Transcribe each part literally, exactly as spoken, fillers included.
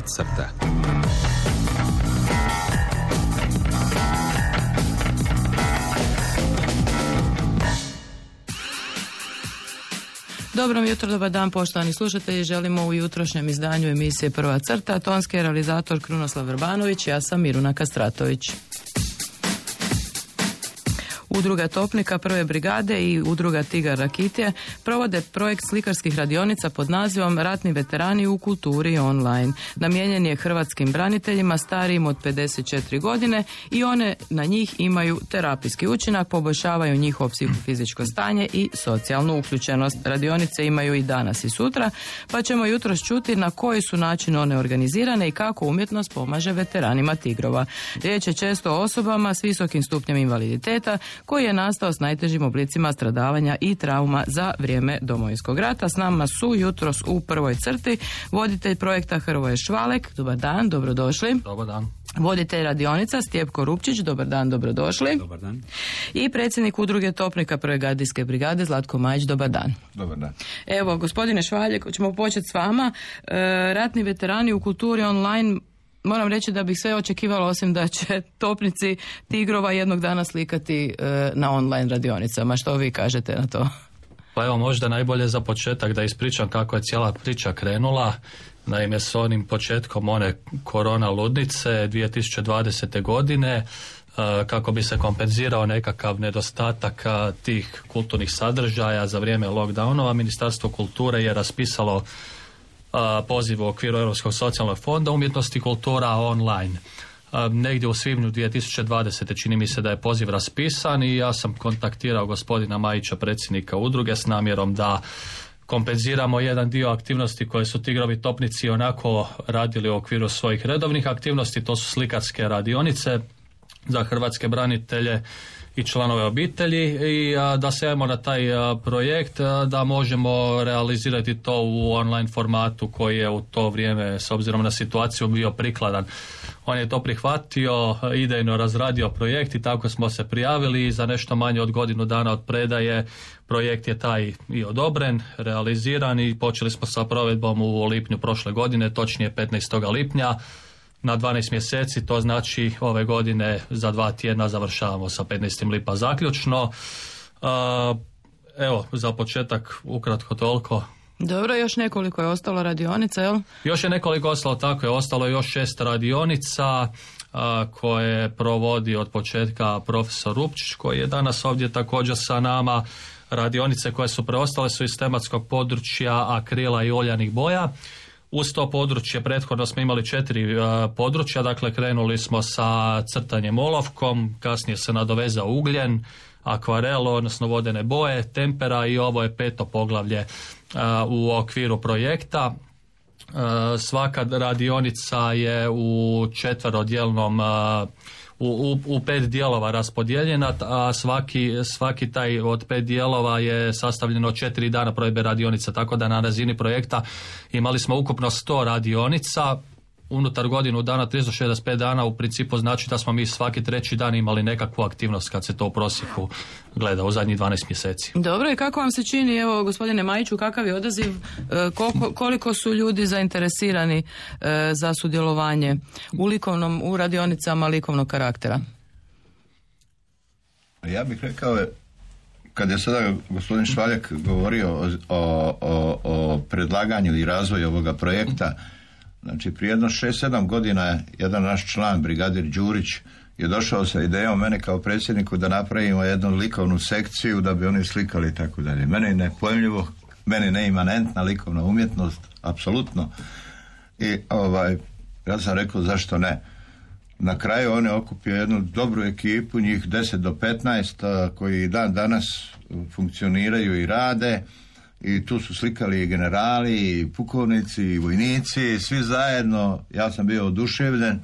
Prva crta. Dobro jutro, dobar dan poštovani slušatelji. Želimo u jutrošnjem izdanju emisije Prva crta. Tonski je realizator Krunoslav Vrbanović, ja sam Miruna Kastratović. Udruga Topnika prve brigade i udruga Tigar Rakitije provode projekt slikarskih radionica pod nazivom Ratni veterani u kulturi online. Namijenjen je hrvatskim braniteljima starijim od pedeset četiri godine i one na njih imaju terapijski učinak, poboljšavaju njihovo psihofizičko stanje i socijalnu uključenost. Radionice imaju i danas i sutra, pa ćemo jutros čuti na koji su način one organizirane i kako umjetnost pomaže veteranima Tigrova. Riječ je često o osobama s visokim stupnjem invaliditeta koji je nastao s najtežim oblicima stradavanja i trauma za vrijeme Domovinskog rata. S nama su jutros u prvoj crti voditelj projekta Hrvoje Švalek. Dobar dan, dobrodošli. Dobar dan. Voditelj radionica Stjepko Rupčić. Dobar dan, dobrodošli. Dobar dan. I predsjednik udruge Topnika prve gardijske brigade Zlatko Majić. Dobar dan. Dobar dan. Evo, gospodine Švaljek, ćemo početi s vama. E, ratni veterani u kulturi online. Moram reći da bih sve očekivala osim da će topnici Tigrova jednog dana slikati e, na online radionicama. Što vi kažete na to? Pa evo, možda najbolje za početak da ispričam kako je cijela priča krenula. Naime, s onim početkom one korona ludnice dvije tisuće dvadesete godine, e, kako bi se kompenzirao nekakav nedostatak tih kulturnih sadržaja za vrijeme lockdownova, Ministarstvo kulture je raspisalo poziv u okviru Europskog socijalnog fonda umjetnosti i kultura online. Negdje u svibnju dvije tisuće dvadesete čini mi se da je poziv raspisan i ja sam kontaktirao gospodina Majića, predsjednika udruge, s namjerom da kompenziramo jedan dio aktivnosti koje su Tigrovi Topnici onako radili u okviru svojih redovnih aktivnosti. To su slikarske radionice za hrvatske branitelje i članove obitelji i a, da se javimo na taj a, projekt a, da možemo realizirati to u online formatu koji je u to vrijeme s obzirom na situaciju bio prikladan. On je to prihvatio, idejno razradio projekt i tako smo se prijavili i za nešto manje od godinu dana od predaje projekt je taj i odobren, realiziran i počeli smo sa provedbom u lipnju prošle godine, točnije petnaestog lipnja. Na dvanaest mjeseci, to znači ove godine za dva tjedna završavamo sa petnaestog lipa zaključno. Uh, evo, za početak ukratko toliko. Dobro, još nekoliko je ostalo radionica, jel? Još je nekoliko ostalo, tako je, ostalo još šest radionica uh, koje provodi od početka profesor Rupčić, koji je danas ovdje također sa nama. Radionice koje su preostale su iz tematskog područja akrila i oljanih boja. Uz to područje prethodno smo imali četiri uh, područja, dakle krenuli smo sa crtanjem olovkom, kasnije se nadovezao ugljen, akvarel, odnosno vodene boje, tempera i ovo je peto poglavlje uh, u okviru projekta. Uh, svaka radionica je u četverodjelnom uh, U, u, u pet dijelova raspodijeljena, a svaki, svaki taj od pet dijelova je sastavljeno od četiri dana provedbe radionica, tako da na razini projekta imali smo ukupno sto radionica, unutar godinu dana tristo šezdeset pet dana, u principu znači da smo mi svaki treći dan imali nekakvu aktivnost kad se to u prosjeku gleda u zadnjih dvanaest mjeseci. Dobro, i kako vam se čini, evo gospodine Majiću, kakav je odaziv, koliko, koliko su ljudi zainteresirani e, za sudjelovanje u likovnom, u radionicama likovnog karaktera? Ja bih rekao, kad je sada gospodin Švaljak govorio o, o, o, o predlaganju i razvoju ovoga projekta, znači prije jedno šest sedam godina jedan naš član, brigadir Đurić, je došao sa idejom mene kao predsjedniku da napravimo jednu likovnu sekciju da bi oni slikali i tako dalje. Mene je nepojmljivo, meni neimanentna likovna umjetnost, apsolutno. I ovaj, ja sam rekao zašto ne. Na kraju on je okupio jednu dobru ekipu, njih deset do petnaest, koji dan danas funkcioniraju i rade. I tu su slikali i generali, i pukovnici, i vojnici, svi zajedno. Ja sam bio oduševljen. E,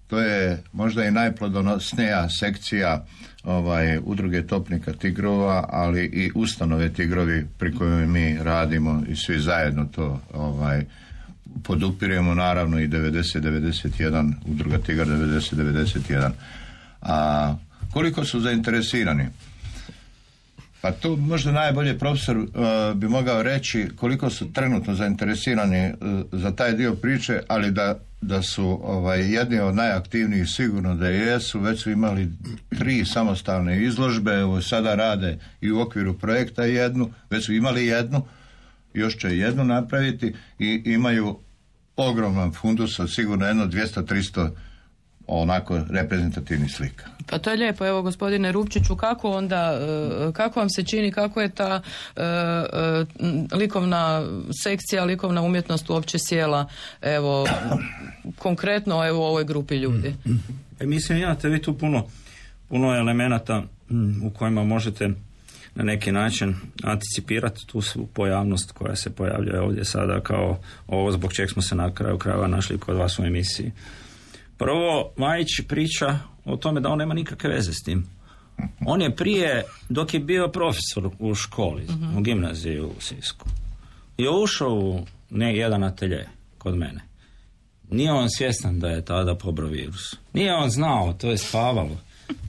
to je možda i najplodonosnija sekcija ovaj, udruge Topnika Tigrova, ali i ustanove Tigrovi pri kojoj mi radimo i svi zajedno to ovaj, podupiremo, naravno i devedeset devedeset jedan, udruga Tigar devedeset devedeset jedan. A koliko su zainteresirani? Pa tu možda najbolje profesor uh, bi mogao reći koliko su trenutno zainteresirani uh, za taj dio priče, ali da, da su ovaj, jedni od najaktivnijih sigurno da jesu, već su imali tri samostalne izložbe, evo sada rade i u okviru projekta jednu, već su imali jednu, još će jednu napraviti i imaju ogroman fundus od sigurno jedno dvjesto tristo onako reprezentativnih slika. Pa to je lijepo, evo gospodine Rupčiću, kako onda, kako vam se čini, kako je ta e, e, likovna sekcija, likovna umjetnost uopće sjela, evo, konkretno evo u ovoj grupi ljudi? E, mislim, imate vi tu puno, puno elemenata u kojima možete na neki način anticipirati tu svu pojavnost koja se pojavljuje ovdje sada kao ovo zbog čeg smo se na kraju krajeva našli kod vas u emisiji. Prvo, Majić priča o tome da on nema nikakve veze s tim. On je prije, dok je bio profesor u školi, uh-huh. u gimnaziji u Sisku, je ušao u ne jedan atelje kod mene. Nije on svjestan da je tada pobrao virus. Nije on znao, to je spavalo.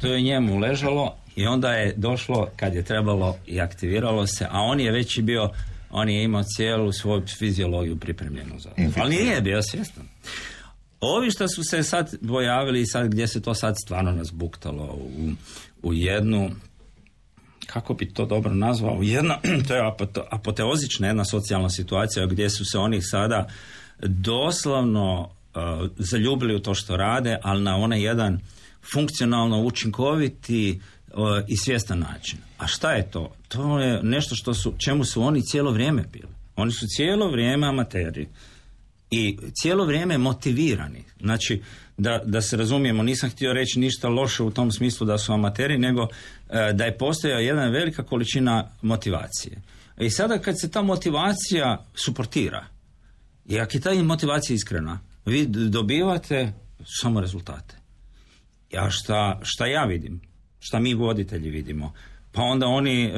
To je njemu ležalo i onda je došlo kad je trebalo i aktiviralo se, a on je već i bio, on je imao cijelu svoju fiziologiju pripremljenu za to. Ali nije bio svjestan. Ovi što su se sad pojavili, sad gdje se to sad stvarno nazbuktalo u, u jednu, kako bi to dobro nazvao, jedna, to je apoteozična jedna socijalna situacija gdje su se oni sada doslovno uh, zaljubili u to što rade, ali na onaj jedan funkcionalno učinkoviti uh, i svjestan način. A šta je to? To je nešto što su, čemu su oni cijelo vrijeme bili. Oni su cijelo vrijeme amateri. I cijelo vrijeme motivirani. Znači, da, da se razumijemo, nisam htio reći ništa loše u tom smislu da su amateri, nego e, da je postojala jedna velika količina motivacije. I sada kad se ta motivacija suportira, i ako je ta motivacija iskrena, vi dobivate samo rezultate. A šta, šta ja vidim, šta mi voditelji vidimo, pa onda oni e,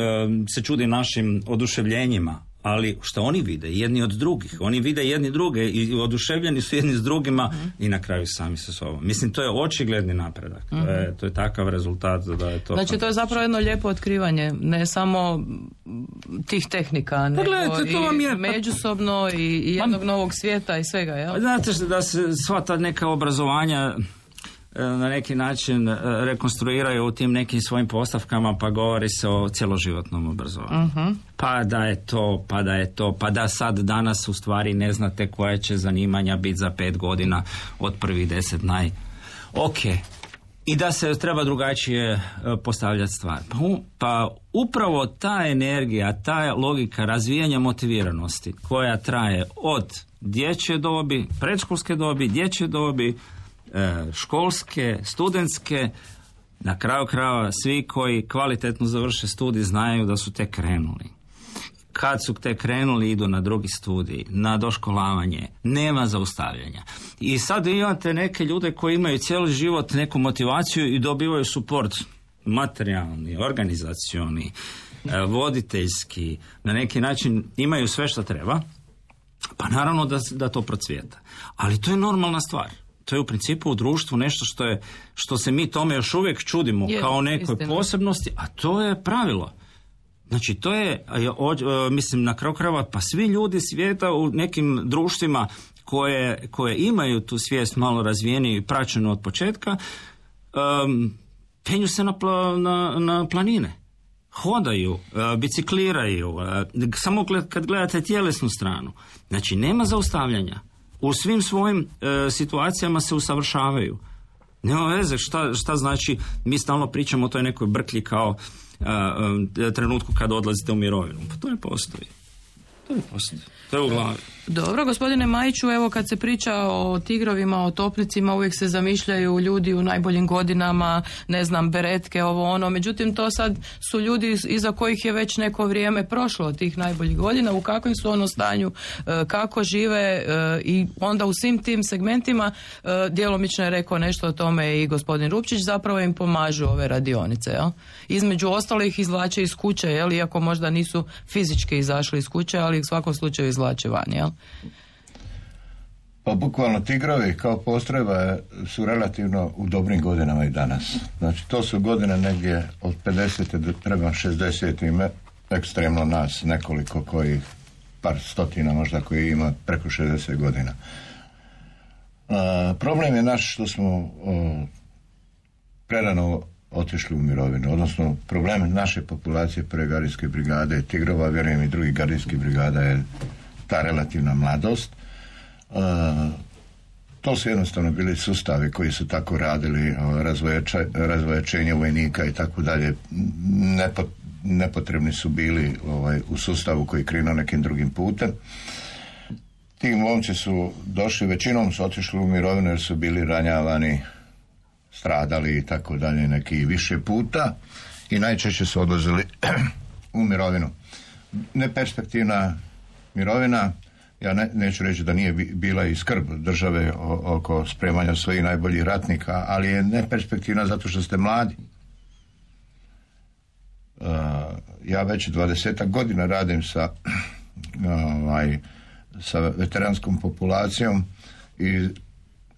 se čude našim oduševljenjima, ali što oni vide jedni od drugih, oni vide jedni druge i oduševljeni su jedni s drugima mm. i na kraju sami sa sobom. Mislim, to je očigledni napredak. Mm. To, je, to je takav rezultat da je to... Znači, to je zapravo jedno lijepo otkrivanje, ne samo tih tehnika, nego gledajte, to vam je... i međusobno i, i jednog Man... novog svijeta i svega, jel? Znate da se sva ta neka obrazovanja na neki način rekonstruiraju u tim nekim svojim postavkama, pa govori se o cjeloživotnom obrazovanju. Uh-huh. Pa da je to, pa da je to, pa da sad danas u stvari ne znate koje će zanimanja biti za pet godina od prvih deset naj... Ok. I da se treba drugačije postavljati stvar. Pa, pa upravo ta energija, ta logika razvijanja motiviranosti koja traje od dječje dobi, predškolske dobi, dječje dobi, školske, studentske, na kraju krajeva svi koji kvalitetno završe studij znaju da su tek krenuli. Kad su tek krenuli idu na drugi studij, na doškolavanje, nema zaustavljanja. I sad imate neke ljude koji imaju cijeli život neku motivaciju i dobivaju suport materijalni, organizacioni, voditeljski, na neki način imaju sve što treba, pa naravno da, da to procvijeta. Ali to je normalna stvar. To je u principu u društvu nešto što je, što se mi tome još uvijek čudimo je, kao nekoj istina. Posebnosti, a to je pravilo. Znači to je, mislim na kraju krajeva, pa svi ljudi svijeta u nekim društvima koje, koje imaju tu svijest malo razvijeniju i praćenu od početka, um, penju se na, pla, na, na planine. Hodaju, uh, bicikliraju, uh, samo gled, kad gledate tjelesnu stranu. Znači nema zaustavljanja. U svim svojim e, situacijama se usavršavaju. Nema veze šta, šta znači, mi stalno pričamo o toj nekoj brklji kao e, e, trenutku kad odlazite u mirovinu. Pa to ne postoji. To ne postoji. To je u glavi. Dobro, gospodine Majiću, evo kad se priča o tigrovima, o topnicima, uvijek se zamišljaju ljudi u najboljim godinama, ne znam, beretke, ovo ono, međutim to sad su ljudi iza kojih je već neko vrijeme prošlo od tih najboljih godina, u kakvom su ono stanju, kako žive i onda u svim tim segmentima, djelomično je rekao nešto o tome i gospodin Rupčić, zapravo im pomažu ove radionice, jel? Između ostalih izvlače iz kuće, jel? Iako možda nisu fizički izašli iz kuće, ali u svakom slučaju izvlače van, jel? Pa bukvalno tigrovi kao postrojba su relativno u dobrim godinama i danas. Znači to su godine negdje od pedesete do prema šezdeset ime, ekstremno nas nekoliko koji, par stotina možda koji ima preko šezdeset godina. A, problem je naš što smo o, prerano otišli u mirovinu, odnosno problem naše populacije prve gardijske brigade, tigrova, vjerujem i drugih gardijskih brigada je ta relativna mladost. Uh, to su jednostavno bili sustavi koji su tako radili, razvojačenje vojnika i tako dalje. Nepo, nepotrebni su bili ovaj, u sustavu koji krenuo nekim drugim putem. Ti momci su došli, većinom su otišli u mirovinu jer su bili ranjavani, stradali i tako dalje neki više puta i najčešće su odlazili u mirovinu. Neperspektivna mirovina, ja ne, neću reći da nije bila i skrb države o, oko spremanja svojih najboljih ratnika, ali je neperspektivna zato što ste mladi. Uh, ja već dvadesetak godina radim sa, ovaj, sa veteranskom populacijom i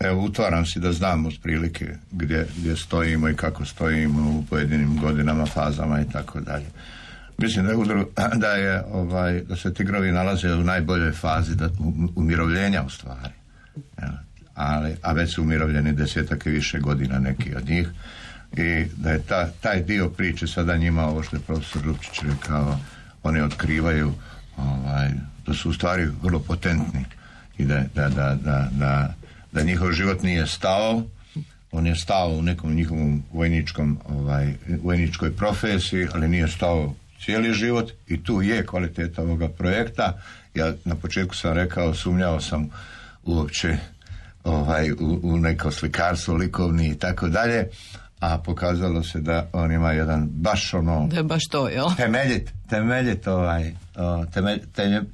evo utvaram si da znam otprilike gdje, gdje stojimo i kako stojimo u pojedinim godinama, fazama i tako dalje. Mislim da je, udru, da, je ovaj, da se tigrovi nalaze u najboljoj fazi da, u, umirovljenja u stvari. Ali, a već su umirovljeni desetak i više godina neki od njih i da je ta, taj dio priče sada njima, ovo što je profesor Rupčić rekao, oni otkrivaju ovaj, da su u stvari vrlo potentni i da, da, da, da, da, da njihov život nije stao, on je stao u nekom njihovom vojničkom, ovaj, vojničkoj profesiji, ali nije stao cijeli život i tu je kvaliteta ovoga projekta. Ja na početku sam rekao, sumnjao sam uopće ovaj, u, u neko slikarstvo, likovni i tako dalje, a pokazalo se da on ima jedan baš ono... Da je baš to, jel? Temeljit, temeljit, ovaj, temelj,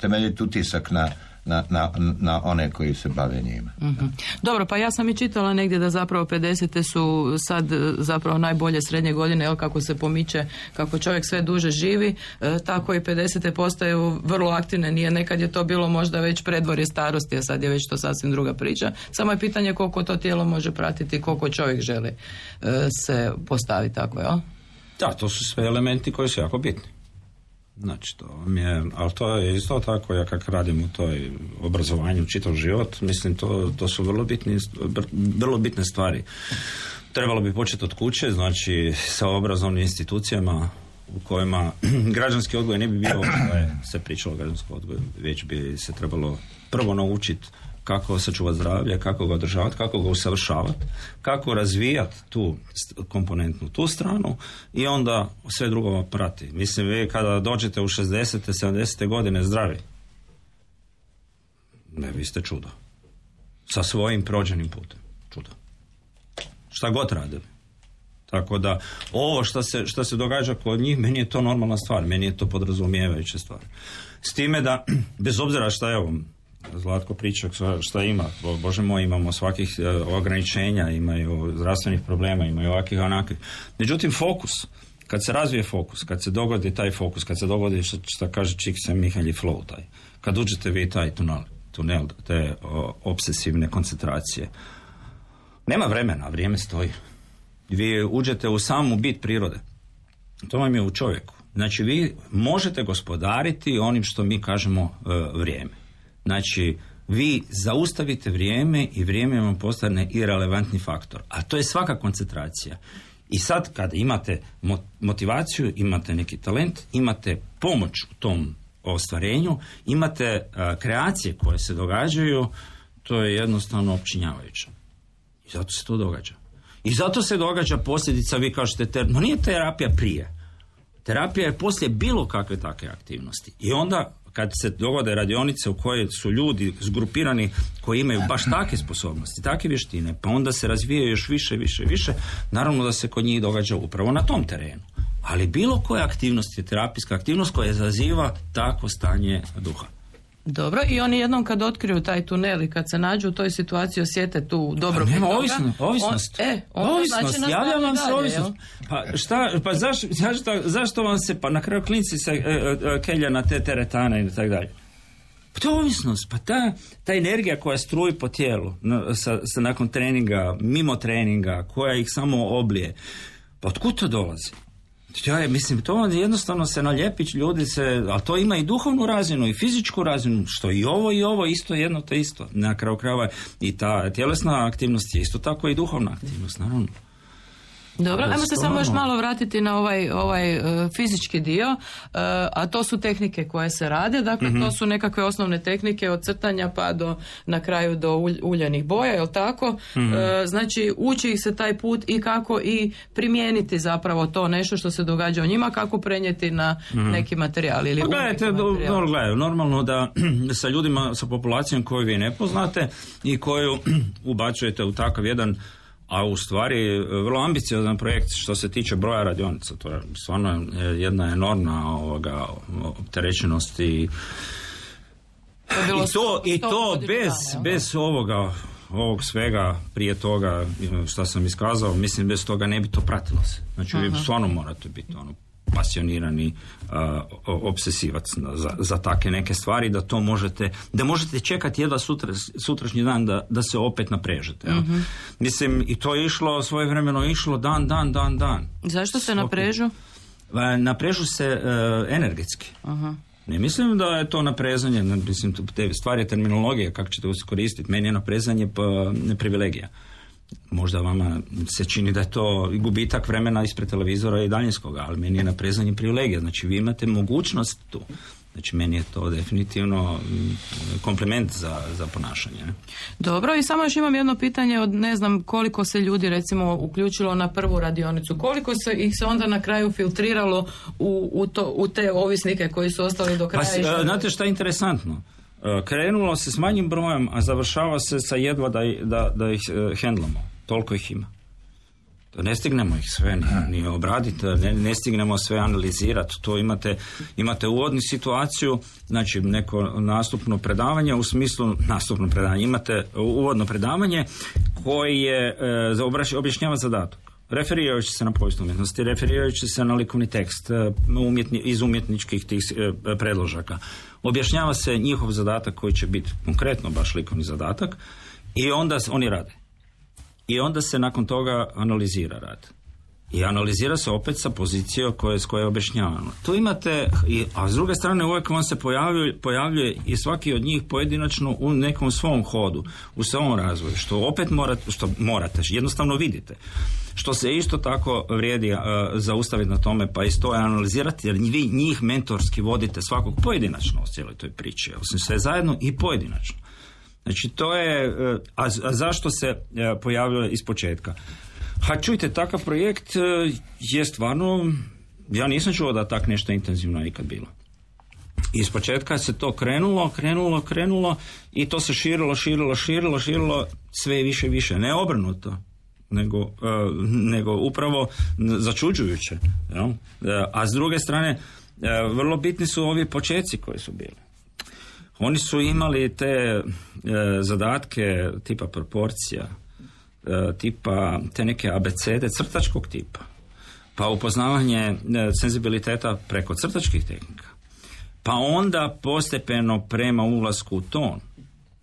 temeljit utisak na... Na, na, na one koji se bave njima. Mm-hmm. Dobro, pa ja sam i čitala negdje da zapravo pedesete su sad zapravo najbolje srednje godine, jel, kako se pomiče, kako čovjek sve duže živi, e, tako i pedesete postaju vrlo aktivne. Nije, nekad je to bilo možda već predvorje starosti, a sad je već to sasvim druga priča. Samo je pitanje koliko to tijelo može pratiti, koliko čovjek želi e, se postaviti tako, jel? Da, to su sve elementi koji su jako bitni. Znači, to mi je, ali to je isto tako, ja kako radim u toj obrazovanju čitav život, mislim, to, to su vrlo, bitni, vrlo bitne stvari. Trebalo bi početi od kuće, znači, sa obrazovnim institucijama u kojima građanski odgoj ne bi bio što je se pričalo o građanskom odgoju, već bi se trebalo prvo naučiti kako sačuvati zdravlje, kako ga održavati, kako ga usavršavati, kako razvijati tu komponentnu, tu stranu i onda sve drugo prati. Mislim, vi kada dođete u šezdesete, sedamdesete godine zdravi, ne, vi ste čudo. Sa svojim prođenim putem. Čudo. Šta god radili. Tako da, ovo što se, što se događa kod njih, meni je to normalna stvar, meni je to podrazumijevajuća stvar. S time da, bez obzira šta je ovo, Zlatko priča šta ima, Bože moj, imamo svakih ograničenja, imaju zdravstvenih problema, imaju ovakvih onakvih. Međutim, fokus, kad se razvije fokus, kad se dogodi taj fokus, kad se dogodi što, što kaže Čikse Mihalji flow, taj, kad uđete vi taj tunel, tunel te o, obsesivne koncentracije, nema vremena, vrijeme stoji. Vi uđete u samu bit prirode. To vam je u čovjeku. Znači, vi možete gospodariti onim što mi kažemo uh, vrijeme. Znači, vi zaustavite vrijeme i vrijeme vam postane irelevantni faktor. A to je svaka koncentracija. I sad kad imate motivaciju, imate neki talent, imate pomoć u tom ostvarenju, imate uh, kreacije koje se događaju, to je jednostavno opčinjavajuće. I zato se to događa. I zato se događa posljedica, vi kažete, ter... no nije terapija prije. Terapija je poslije bilo kakve takve aktivnosti. I onda kad se dogode radionice u koje su ljudi zgrupirani koji imaju baš takve sposobnosti, takve vještine, pa onda se razvijaju još više, više, više, naravno da se kod njih događa upravo na tom terenu. Ali bilo koja aktivnost je terapijska aktivnost koja zaziva takvo stanje duha. Dobro, i oni jednom kad otkriju taj tunel i kad se nađu u toj situaciji osjete tu dobro. Pa nema ovisno, ovisnost. On, e, ovisnost, znači javlja vam se dalje, ovisnost. Pa šta, pa zašto, zašto, zašto vam se, pa na kraju klinci se e, e, kelja na te teretane i tako dalje? Pa to je ovisnost, pa ta, ta energija koja struji po tijelu na, sa, sa nakon treninga, mimo treninga, koja ih samo oblije, pa otkud to dolazi? Ja je, mislim, to jednostavno se naljepić, ljudi se, ali to ima i duhovnu razinu i fizičku razinu, što i ovo i ovo isto jedno te isto. Na kraju krajeva i ta tjelesna aktivnost je isto tako i duhovna aktivnost, naravno. Dobro, ajmo se samo još malo vratiti na ovaj, ovaj uh, fizički dio, uh, a to su tehnike koje se rade, dakle mm-hmm. to su nekakve osnovne tehnike od crtanja pa do na kraju do ulj, uljanih boja, je li tako? Mm-hmm. Uh, znači uči ih se taj put i kako i primijeniti zapravo to nešto što se događa u njima, kako prenijeti na mm-hmm. neki materijal ili pa, gledajte, materijal. No, gledaj, normalno da sa ljudima, sa populacijom koju vi ne poznate i koju ubacujete u takav jedan, a u stvari vrlo ambiciozan projekt što se tiče broja radionica. To je stvarno jedna enormna ovoga opterećenost i, to i to, i to bez, dana, bez ovoga ovog svega prije toga što sam iskazao, mislim bez toga ne bi to pratilo se. Znači vi stvarno morate biti ono pasionirani uh, obsesivac za, za takve neke stvari, da to možete, da možete čekati jedva sutra, sutrašnji dan da, da se opet naprežete. Ja? Mm-hmm. Mislim, i to je išlo, svojevremeno išlo dan, dan, dan, dan. Zašto se naprežu? Naprežu se uh, energetski. Uh-huh. Ne mislim da je to naprezanje, mislim, te stvari terminologije, kako ćete koristiti. Meni je naprezanje pa, privilegija. Možda vama se čini da je to gubitak vremena ispred televizora i daljinskoga, ali meni je naprezanje privilegija. Znači vi imate mogućnost tu. Znači meni je to definitivno kompliment za, za ponašanje. Dobro, i samo još imam jedno pitanje od ne znam koliko se ljudi recimo uključilo na prvu radionicu. Koliko se ih se onda na kraju filtriralo u, u, to, u te ovisnike koji su ostali do kraja? Pa, znate šta je interesantno? Krenulo se s manjim brojem, a završava se sa jedva da, da, da ih uh, hendlamo. Toliko ih ima. Ne stignemo ih sve ni, ni obraditi, ne, ne stignemo sve analizirati. To imate, imate uvodnu situaciju, znači neko nastupno predavanje, u smislu nastupno predavanje, imate uvodno predavanje koje je e, objašnjava zadatak. Referirajući se na povijest umjetnosti, referirajući se na likovni tekst umjetni, iz umjetničkih tih e, predložaka. Objašnjava se njihov zadatak koji će biti konkretno baš likovni zadatak i onda oni rade. I onda se nakon toga analizira rad. I analizira se opet sa pozicije koje, s koje je objašnjavano. Tu imate, i, a s druge strane uvijek vam se pojavljuje, pojavljuje i svaki od njih pojedinačno u nekom svom hodu, u svom razvoju, što opet morate, što morate, jednostavno vidite. Što se isto tako vrijedi uh, zaustaviti na tome, pa isto je analizirati, jer vi njih mentorski vodite svakog pojedinačno u cijeloj toj priči, osim sve zajedno i pojedinačno. Znači to je, a, a zašto se pojavljuje iz početka? Ha, čujte, takav projekt je stvarno, ja nisam čuo da tak nešto intenzivno nikad bilo. Iz početka se to krenulo, krenulo, krenulo i to se širilo, širilo, širilo, širilo sve više i više. Ne obrnuto, nego, uh, nego upravo začuđujuće. Ja? A s druge strane, uh, vrlo bitni su ovi počeci koji su bili. Oni su imali te e, zadatke tipa proporcija, e, tipa te neke abecede crtačkog tipa, pa upoznavanje e, senzibiliteta preko crtačkih tehnika, pa onda postepeno prema ulasku u ton,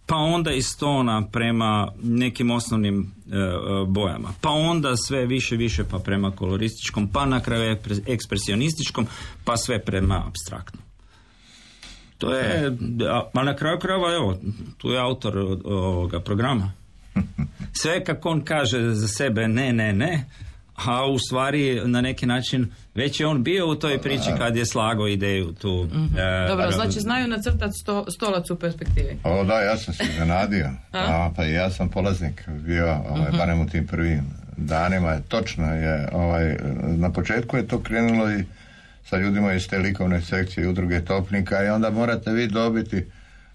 pa onda iz tona prema nekim osnovnim e, bojama, pa onda sve više više pa prema kolorističkom, pa na kraju ekspresionističkom, pa sve prema apstraktnom. To je, a na kraju krajeva, evo, tu je autor ovoga programa. Sve kako on kaže za sebe ne, ne, ne, a u stvari na neki način već je on bio u toj priči kad je slagao ideju tu. Mm-hmm. E, Dobro, a, znači znaju nacrtati sto, stolac u perspektivi. O da, ja sam se zanadio. a, pa ja sam polaznik bio, ovaj, mm-hmm. barem u tim prvim danima. Točno je, ovaj, na početku je to krenulo i sa ljudima iz te likovne sekcije udruge Topnika i onda morate vi dobiti,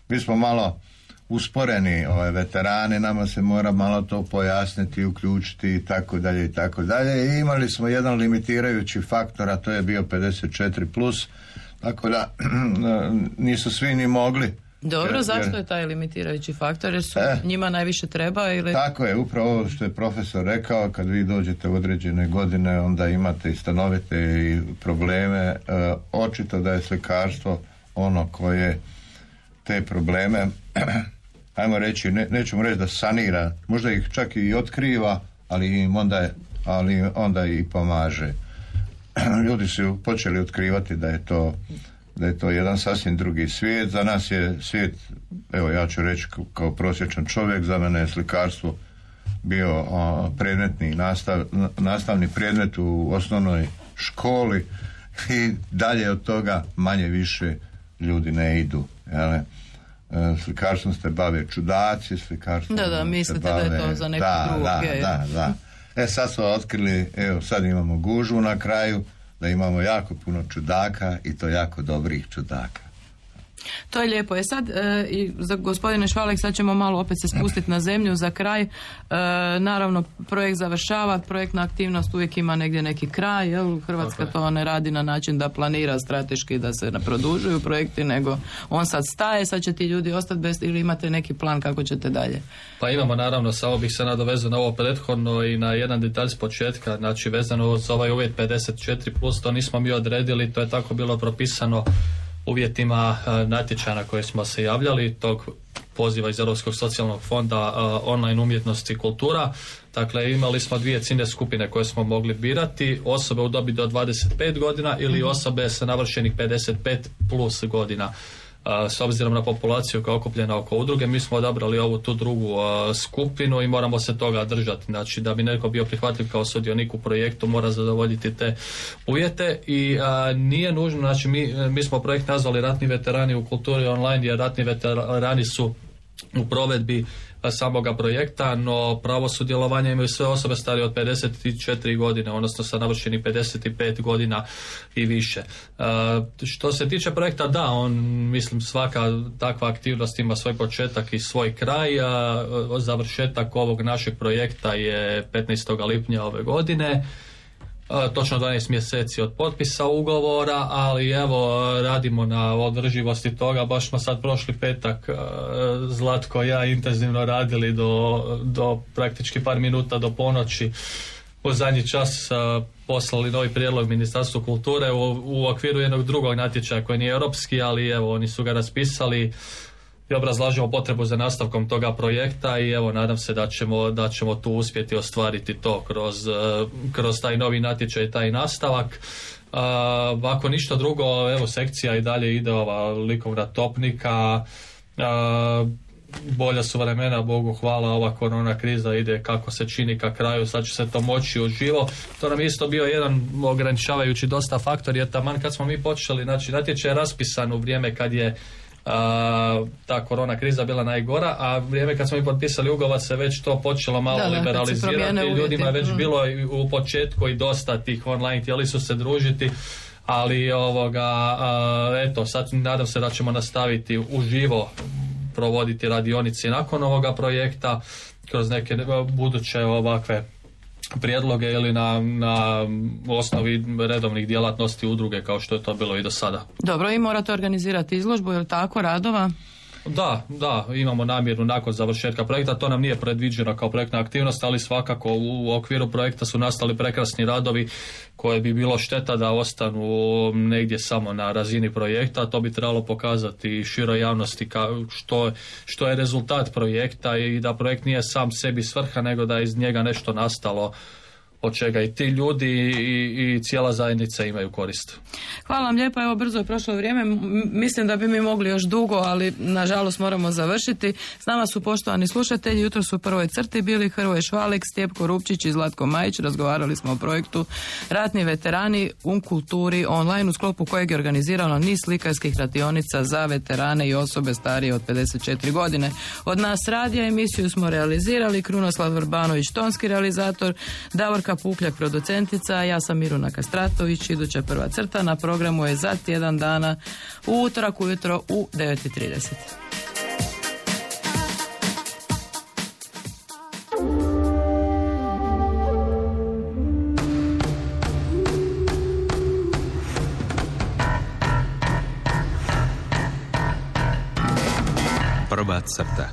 mi smo malo usporeni ovaj, veterani, nama se mora malo to pojasniti, uključiti i tako dalje i tako dalje i imali smo jedan limitirajući faktor, a to je bio pedeset četiri plus, tako da nisu svi ni mogli. Dobro, jer, zašto jer, je taj limitirajući faktor? Jer su eh, njima najviše treba? Ili... Tako je, upravo ovo što je profesor rekao, kad vi dođete u određene godine, onda imate i stanovite i probleme. E, očito da je slikarstvo ono koje te probleme, ajmo reći, ne, nećemo reći da sanira, možda ih čak i otkriva, ali im onda, ali onda i pomaže. Ljudi su počeli otkrivati da je to da je to jedan sasvim drugi svijet. Za nas je svijet, evo ja ću reći kao prosječan čovjek, za mene je slikarstvo bio a, predmetni nastav, nastavni predmet u osnovnoj školi i dalje od toga manje više ljudi ne idu. Jel? Slikarstvom se bave čudaci, slikarstvom da, da, mislite se bave... da je to za neku da, drugu. Da, da, da. E sad smo otkrili, evo sad imamo gužvu na kraju, da imamo jako puno čudaka i to jako dobrih čudaka. To je lijepo. E sad, e, i za gospodine Švalek, sad ćemo malo opet se spustiti na zemlju za kraj. E, naravno, projekt završava, projektna aktivnost uvijek ima negdje neki kraj, jel? Hrvatska okay. to ne radi na način da planira strateški da se ne produžuju projekti, nego on sad staje, sad će ti ljudi ostati bez, ili imate neki plan kako ćete dalje? Pa imamo, naravno, samo bih se nadovezao na ovo prethodno i na jedan detalj s početka, znači vezano za ovaj uvjet pedeset četiri plus, to nismo mi odredili, to je tako bilo propisano uvjetima uh, natječaja na koje smo se javljali, tog poziva iz Europskog socijalnog fonda uh, online umjetnosti i kultura. Dakle, imali smo dvije ciljne skupine koje smo mogli birati, osobe u dobi do dvadeset pet godina ili osobe sa navršenih pedeset pet plus godina. Uh, s obzirom na populaciju koja je okupljena oko udruge, mi smo odabrali ovu tu drugu uh, skupinu i moramo se toga držati. Znači, da bi neko bio prihvatljiv kao sudionik u projektu, mora zadovoljiti te uvjete i uh, nije nužno, znači mi, mi smo projekt nazvali Ratni veterani u kulturi online, jer ratni veterani su u provedbi samoga projekta, no pravo sudjelovanja imaju sve osobe starije od pedeset četiri godine, odnosno sa navršenih pedeset pet godina i više. E, što se tiče projekta, da, on, mislim, svaka takva aktivnost ima svoj početak i svoj kraj. A završetak ovog našeg projekta je petnaestog lipnja ove godine. Točno dvanaest mjeseci od potpisa ugovora, ali evo radimo na održivosti toga. Baš smo sad prošli petak Zlatko i ja intenzivno radili do, do praktički par minuta do ponoći. U zadnji čas poslali novi prijedlog Ministarstvu kulture u, u okviru jednog drugog natječaja koji nije europski, ali evo oni su ga raspisali i obrazlažemo potrebu za nastavkom toga projekta i evo nadam se da ćemo, da ćemo tu uspjeti ostvariti to kroz, kroz taj novi natječaj i taj nastavak. Uh, ako ništa drugo, evo sekcija i dalje ide ova likovna topnika, uh, bolja su vremena, Bogu hvala, ova korona kriza ide kako se čini ka kraju, sad će se to moći uživo. To nam je isto bio jedan ograničavajući dosta faktor, jer taman kad smo mi počeli, znači natječaj je raspisan u vrijeme kad je Uh, ta korona kriza bila najgora, a vrijeme kad smo mi potpisali ugovor se već to počelo malo da, liberalizirati, ljudima je već mm. bilo u početku i dosta tih online, htjeli su se družiti, ali ovoga, uh, eto, sad nadam se da ćemo nastaviti uživo provoditi radionice nakon ovoga projekta kroz neke buduće ovakve prijedloge ili na, na osnovi redovnih djelatnosti udruge kao što je to bilo i do sada. Dobro, i morate organizirati izložbu, je li tako, radova? Da, da, imamo namjeru nakon završetka projekta, to nam nije predviđeno kao projektna aktivnost, ali svakako u okviru projekta su nastali prekrasni radovi koje bi bilo šteta da ostanu negdje samo na razini projekta, to bi trebalo pokazati široj javnosti ka, što, što je rezultat projekta i da projekt nije sam sebi svrha, nego da je iz njega nešto nastalo od čega i ti ljudi i, i cijela zajednica imaju korist. Hvala vam lijepo, evo brzo je prošlo vrijeme, M- mislim da bi mi mogli još dugo, ali nažalost moramo završiti. S nama su poštovani slušatelji, jutro su u prvoj crti bili Hrvoje Švalek, Stjepko Rupčić i Zlatko Majić, razgovarali smo o projektu Ratni veterani u kulturi online, u sklopu kojeg je organizirano niz slikarskih radionica za veterane i osobe starije od pedeset četiri godine. Od nas radija emisiju smo realizirali Krunoslav Vrbanović, tonski realizator, Davorka Pukljak, producentica, ja sam Miruna Kastratović, iduća prva crta na programu je za tjedan dana u utorak ujutro u devet i trideset. Prva crta.